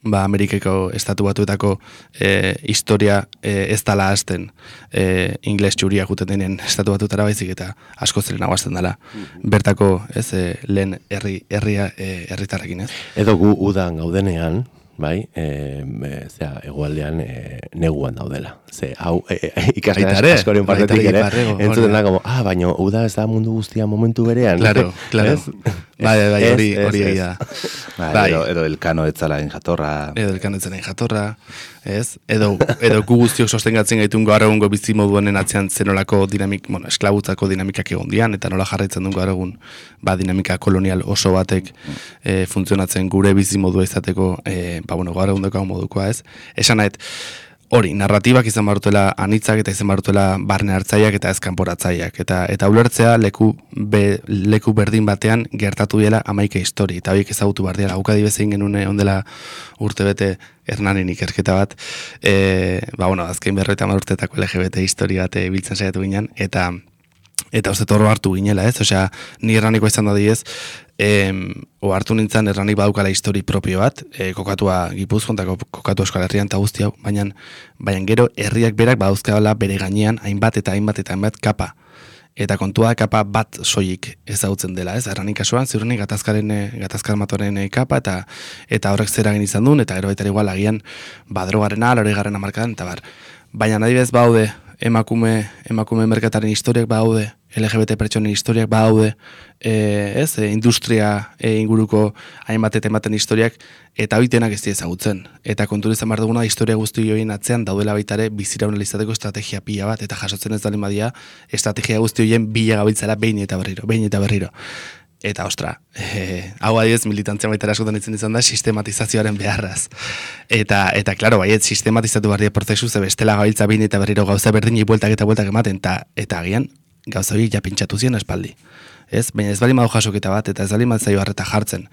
Speaker 2: ba Amerikako estatu batuetako e, historia e, ez dala hasten e, ingles txuria juten denen estatu batutara baizik eta asko zelen aguazten dela. Bertako ez, e, lehen herri, herria e, herritarrekin, ez?
Speaker 4: Edo gu udan gaudenean, bai, e, e, zera, egualdean e, neguan daudela. Ze, hau, e, ikasle askoren partetik ere, entzuten da, como, ah, baina uda ez da mundu guztia momentu berean.
Speaker 2: Claro, claro. Bai, bai, hori hori da.
Speaker 3: Bai, edo, edo elkano etzalain jatorra.
Speaker 2: Edo elkano etzalain jatorra, ez? Edo, edo gu guztiok sostengatzen gaitun gaur egungo bizi moduenen atzean zenolako dinamik, bueno, esklabutzako dinamikak egon dian, eta nola jarraitzen duen gaur egun, ba, dinamika kolonial oso batek e, funtzionatzen gure bizi modua izateko, e, ba, bueno, gaur egun dekago modukoa, ez? Esan nahet, hori, narratibak izan barutela anitzak eta izan barutela barne hartzaiak eta ezkanporatzaiak. Eta eta ulertzea leku, be, leku berdin batean gertatu dela hamaika histori. Eta horiek ezagutu behar dira. Haukadi bezein genuen ondela urtebete Hernanen ikerketa bat. E, ba, bueno, azken berroita urtetako L G B T histori bat biltzen saiatu ginen. Eta eta uste torro hartu ginela, ez? Osea, ni Hernaniko izan da diez, em, o hartu nintzen Hernanik badaukala histori propio bat, e, kokatua Gipuzkoan eta kokatua Euskal Herrian eta guzti hau, baina, baina gero herriak berak badauzkabala bere gainean hainbat eta hainbat eta hainbat kapa. Eta kontua kapa bat soilik ezagutzen dela, ez? Hernanik kasuan, ziurrenik gatazkaren, gatazkar matoren kapa, eta eta horrek zer egin izan duen, eta gero baita igual agian badrogarena, loregarren amarkadan, eta bar. Baina adibidez baude, emakume, emakume merkataren historiak baude, L G B T pertsonen historiak baude, e, ez, e, industria e, inguruko hainbat eta ematen historiak, eta hoitenak ez ezagutzen. Eta kontu izan behar duguna, historia guzti horien atzean daudela baitare biziraun izateko estrategia pila bat, eta jasotzen ez dalin badia, estrategia guzti horien bila gabiltzara behin eta berriro, behin eta berriro. Eta, ostra, e, hau adibidez militantzia baita askotan itzen izan da sistematizazioaren beharraz. Eta, eta klaro, baiet, sistematizatu behar dira prozesu, ze bestela gabiltza behin eta berriro gauza berdinei bueltak eta bueltak ematen, eta, eta agian, gauza horiek ja pentsatu zien espaldi. Ez? Baina ez bali madu jasoketa bat, eta ez bali madu zaio harreta jartzen.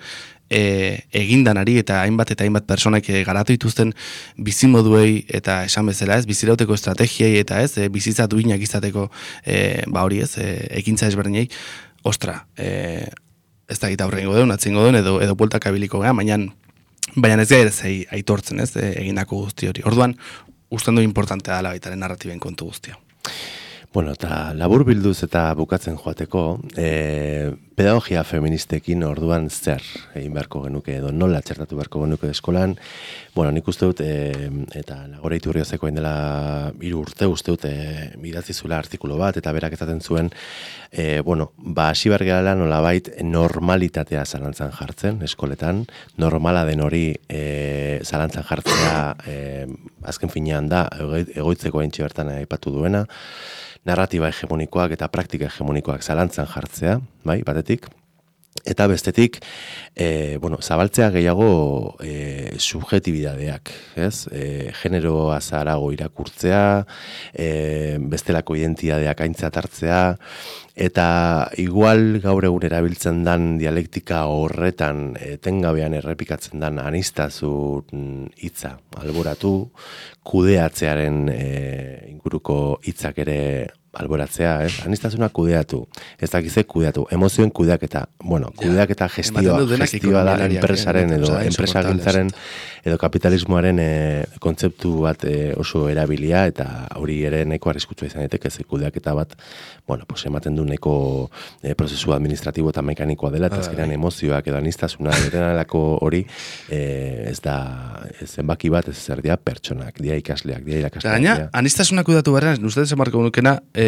Speaker 2: E, egindanari eta hainbat eta hainbat personak garatu dituzten bizimoduei eta esan bezala, ez, bizirauteko estrategiei eta ez, e, bizitza duinak izateko, e, ba hori ez, e, ekintza ezberdinei, ostra, e, ez da gita aurrengo deun, atzingo deun, edo, edo bueltak abiliko geha, baina, baina ez gaire zei aitortzen, ez, e, egindako guzti hori. Orduan, usten du importantea dela baitaren narratiben kontu guztia.
Speaker 4: Bueno, eta labur bilduz eta bukatzen joateko, e, pedagogia feministekin orduan zer egin beharko genuke edo nola txertatu beharko genuke eskolan. Bueno, nik uste dut, e, eta Nagore Iturriozeko hain dela hiru urte uste dut, e, idatzi zula artikulu bat, eta berak ezaten zuen, e, bueno, ba, hasi behar garela nolabait normalitatea zalantzan jartzen eskoletan, normala den hori e, zalantzan jartzea e, azken finean da, egoitzeko haintxe bertan aipatu duena, narratiba hegemonikoak eta praktika hegemonikoak zalantzan jartzea, bai, batetik, eta bestetik, e, bueno, zabaltzea gehiago e, subjetibidadeak, ez? E, genero azarago irakurtzea, e, bestelako identidadeak aintzat hartzea, eta igual gaur egun erabiltzen dan dialektika horretan etengabean errepikatzen dan aniztasun hitza alboratu, kudeatzearen e, inguruko hitzak ere alboratzea, ez? Aniztasuna kudeatu, ez dakize kudeatu, emozioen kudeaketa, bueno, kudeaketa gestioa, gestioa da enpresaren edo enpresagintzaren edo kapitalismoaren e, kontzeptu bat e, oso erabilia, eta hori ere neko arriskutsua izan daiteke, ze kudeaketa bat, bueno, pues ematen du neko e, prozesu administratibo eta mekanikoa dela, eta azkenean emozioak edo aniztasuna derenalako hori e, ez da zenbaki bat, ez zer dia pertsonak, dia ikasleak, dia irakasleak.
Speaker 2: Gaina, aniztasuna kudatu beharren, uste desamarko nukena, e,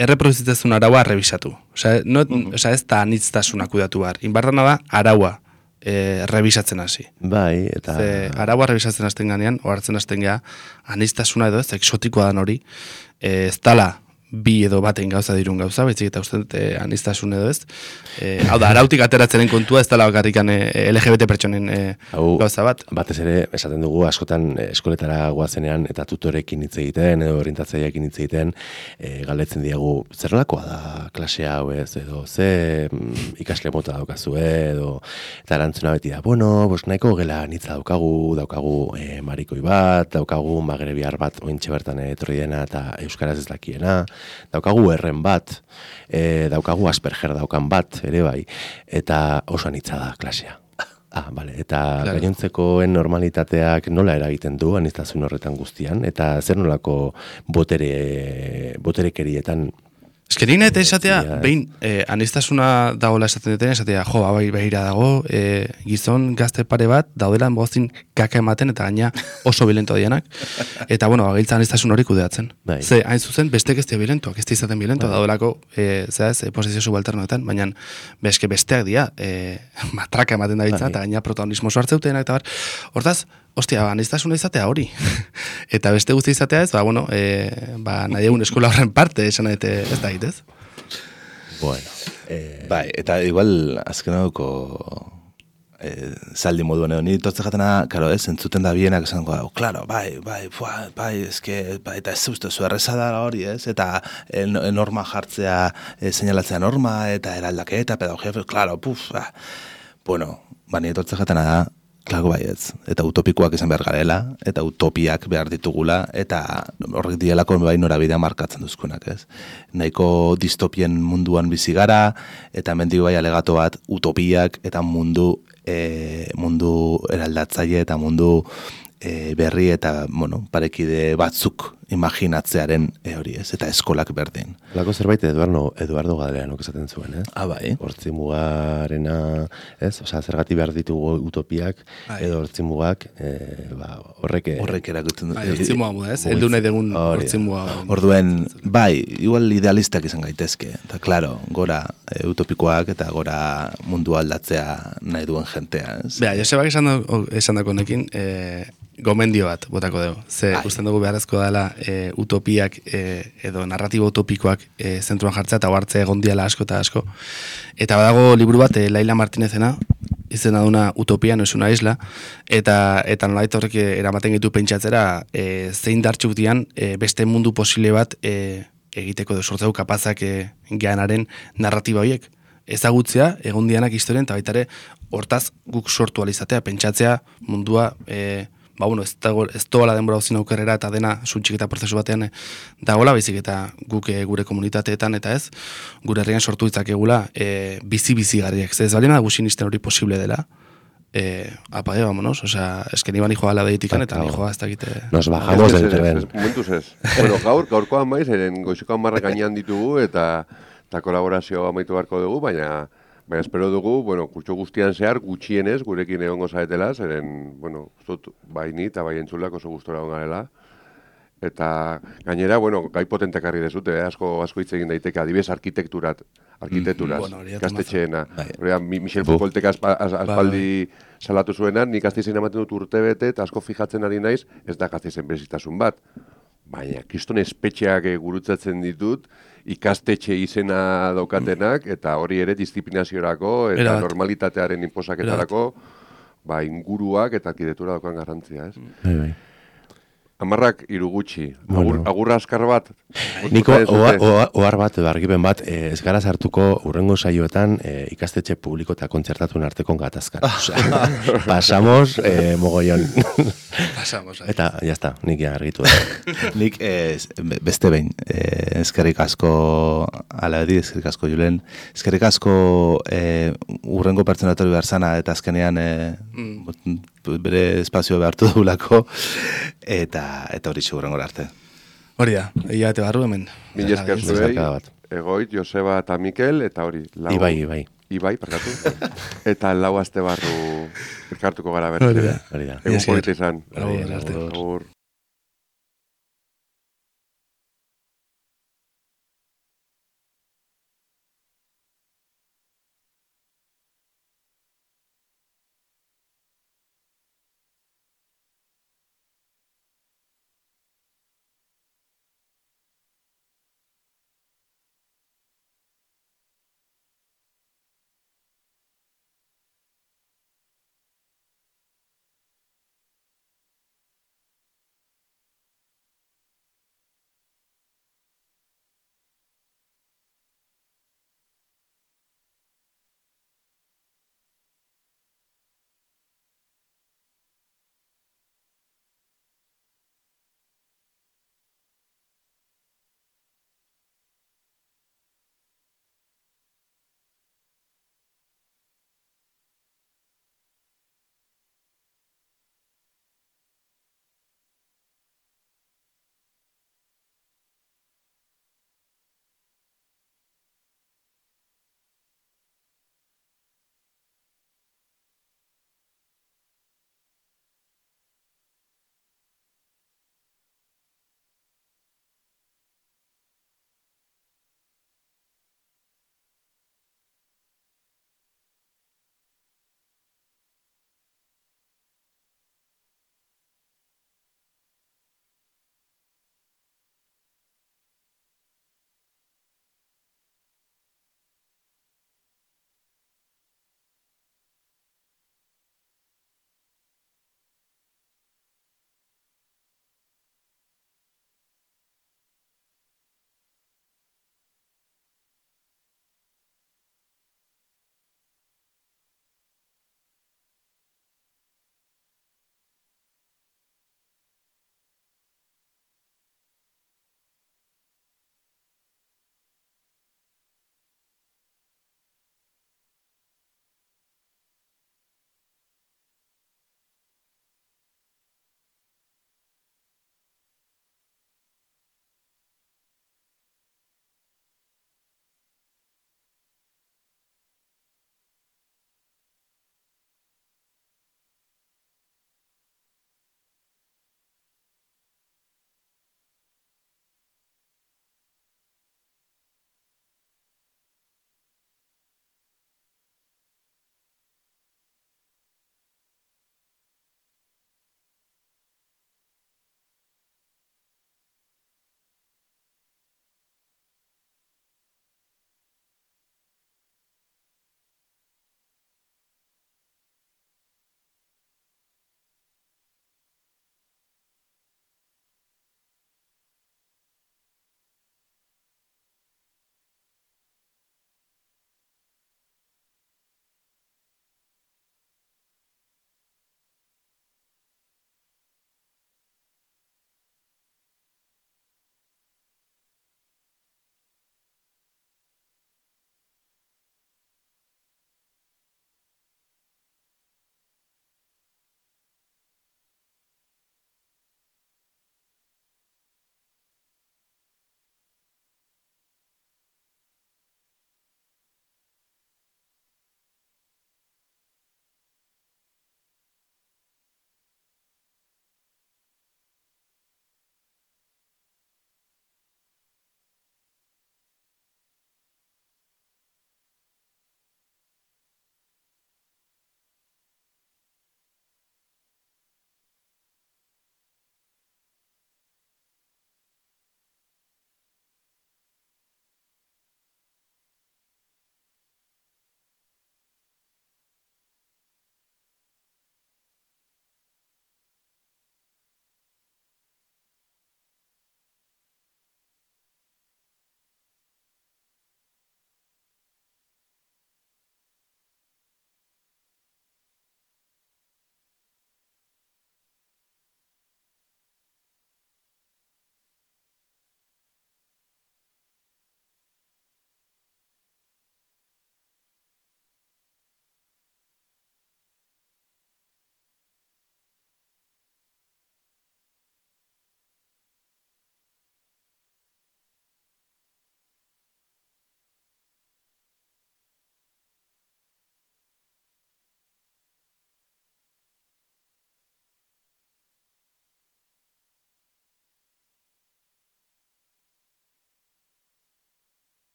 Speaker 2: erreproduzitzezun araua revisatu. Osea, no, uh-huh. Osea, ez da aniztasuna kudatu behar. Inbarrana da, araua e, revisatzen hasi.
Speaker 4: Bai, eta...
Speaker 2: Ze, araua revisatzen hasten ganean, ohartzen hasten gea, aniztasuna edo ez, exotikoa dan hori, e, ez dala bi edo baten gauza dirun gauza, betzik eta uste e, aniztasun edo ez. E, hau da, arautik ateratzenen kontua ez dela bakarrikan e, L G B T pertsonen e, hau, gauza bat.
Speaker 4: Batez ere, esaten dugu, askotan eskoletara goazenean eta tutorekin hitz egiten, edo orientatzaileekin hitz egiten, e, galdetzen diegu, zer nolakoa da klase hau ez, edo ze mm, ikasle mota daukazu, edo, eta erantzuna beti da, bueno, bos nahiko gela nitza daukagu, daukagu e, marikoi bat, daukagu magrebiar bat ointxe bertan etorri dena eta euskaraz ez dakiena, daukagu erren bat, e, daukagu Asperger daukan bat, ere bai, eta oso anitza da klasea. Ah, vale. Eta claro. Gainontzekoen normalitateak nola eragiten du aniztasun horretan guztian, eta zer nolako botere, boterekerietan.
Speaker 2: Eskerina eta esatea, behin, eh, aniztasuna dagoela esaten duten, esatea, jo, bai, behira dago, eh, gizon gazte pare bat, daudela bozin kaka ematen, eta gaina oso bilento dianak. Eta, bueno, agiltza aniztasun hori kudeatzen. Bai. Ze, hain zuzen, bestek ez dira bilentoak, ez dira izaten bilentoak, daudelako, eh, zehaz, eh, posizio subalternoetan, baina beske besteak dira, eh, matraka ematen da biltza, eta gaina protagonismo hartzeutenak, eta bar, hortaz, ostia, aniztasuna izatea hori. Eta beste guzti izatea ez, ba, bueno, e, ba, nahi egun eskola horren parte, esan eta ez da egitez.
Speaker 3: Bueno, eh, bai, eta igual azken hauko eh, zaldi moduan edo, nire tortze jatena, karo, ez, entzuten da bienak esan goa, klaro, bai, bai, fua, bai, ezke, bai, eta ez uste, zu errezada hori, ez, eta e, norma jartzea, e, seinalatzea norma, eta eraldaketa, pedagogia, klaro, puf, ba. Bueno, ba, nire tortze jatena da, Klago baietz, eta utopikoak izan behar garela, eta utopiak behar ditugula, eta horrek dialako bai norabidea markatzen duzkunak, ez? Nahiko distopien munduan bizi gara, eta mendik bai alegato bat utopiak, eta mundu, e, mundu eraldatzaile, eta mundu e, berri, eta, bueno, parekide batzuk imaginatzearen e, hori, ez? Eta eskolak berdin.
Speaker 4: Lako zerbait Eduardo, Eduardo Galeanok esaten zuen, ez?
Speaker 3: Ah, bai.
Speaker 4: Hortzi mugarena, ez? Osea, zergati behar ditugu utopiak, ai. Edo hortzi mugak, e, ba, horrek...
Speaker 3: Horrek erakutzen
Speaker 2: du. Hortzi muga muda, ez? Eldu nahi degun hortzi muga.
Speaker 3: Orduen, bai, igual idealistak izan gaitezke. Eta, klaro, gora e, utopikoak eta gora mundu aldatzea nahi duen jentea, ez?
Speaker 2: Bea, Josebak esan dako nekin, e, gomendio bat botako dugu. Ze, usten dugu beharrezko dela e, utopiak e, edo narratibo utopikoak e, zentruan jartzea eta hartzea egon diala asko eta asko. Eta badago liburu bat, e, Laila Martinezena, izena duna Utopia no es una isla, eta eta nolait horrek eramaten gitu pentsatzera e, zein dartxuk dian e, beste mundu posible bat e, egiteko edo sortzeu kapazak e, geanaren narratiba horiek. Ezagutzea, egon dianak historien, eta baitare hortaz guk sortu alizatea, pentsatzea mundua... E, ba, bueno, ez, dago, ez doala denbora hozin aukerrera eta dena suntxik eta prozesu batean e, dagoela, baizik eta guk e, gure komunitateetan eta ez, gure herrian sortu ditzakegula e, bizi-bizi garriak. Ez balina da gusinisten hori posible dela, eh, apague, vámonos, osea, es que ni ban hijoa la deitikan, eta ni joa ez dakite...
Speaker 4: Nos bajamos del
Speaker 1: Ez, ez,
Speaker 4: tren.
Speaker 1: ez, momentuz ez. Bueno, gaur, gaurkoan maiz, eren goizeko hamarrak gainean ditugu, eta, eta kolaborazio amaitu beharko dugu, baina... Baina espero dugu, bueno, kurtso guztian zehar, gutxienez, gurekin egongo zaretela, zeren, bueno, zut, bai ni eta bai entzulak oso gustora egon garela. Eta gainera, bueno, gai potentak harri dezute, eh? asko, asko hitz egin daiteke, adibidez arkitekturat, arkitekturaz,
Speaker 2: Bueno, hori da
Speaker 1: gaztetxeena.
Speaker 3: Bai.
Speaker 1: Horrean, Mi- Michel Foucaultek aspa- az- aspaldi salatu zuenan, nik Gasteizen ematen dut urte bete, eta asko fijatzen ari naiz, ez da Gasteizen berezitasun bat. Baina, kriston espetxeak eh, gurutzatzen ditut, ikastetxe izena daukatenak, eta hori ere disiplinaziorako, eta
Speaker 2: Erabat.
Speaker 1: normalitatearen inposaketarako, ba, inguruak eta arkitektura daukan garrantzia, ez?
Speaker 4: Bai, bai.
Speaker 1: Amarrak hiru gutxi.
Speaker 4: Bueno.
Speaker 1: Agur, agurra askar bat.
Speaker 4: Niko,
Speaker 1: Bozkatu
Speaker 4: oa-
Speaker 1: dezute.
Speaker 4: oa- ohar bat, edo argipen bat, eh, ez gara sartuko urrengo saioetan eh, ikastetxe publiko eta kontzertatuen arteko gatazkan. Osea, pasamos eh, mogollon.
Speaker 2: Pasamos, ahí.
Speaker 4: Eta, jazta, nik ja argitu da.
Speaker 3: Nik eh, beste behin, eh, eskerrik asko Alabedi, eskerrik asko Julen, eskerrik asko eh, urrengo pertsonatori behar zana, eta azkenean eh, bere espazio behartu dugulako, eta eta hori urrengo arte.
Speaker 2: Hori da, egia bete barru hemen.
Speaker 1: Mila esker zuei,
Speaker 4: Desmarkada bat.
Speaker 1: Egoit, Joseba eta Mikel, eta hori. Lau,
Speaker 4: Ibai, ibai.
Speaker 1: Ibai, parkatu. Eta lau aste barru elkartuko gara berriz.
Speaker 2: Hori da.
Speaker 4: Hori da.
Speaker 1: Egun
Speaker 2: Esker.
Speaker 1: polita izan.
Speaker 2: Agur, arte.
Speaker 1: Agur.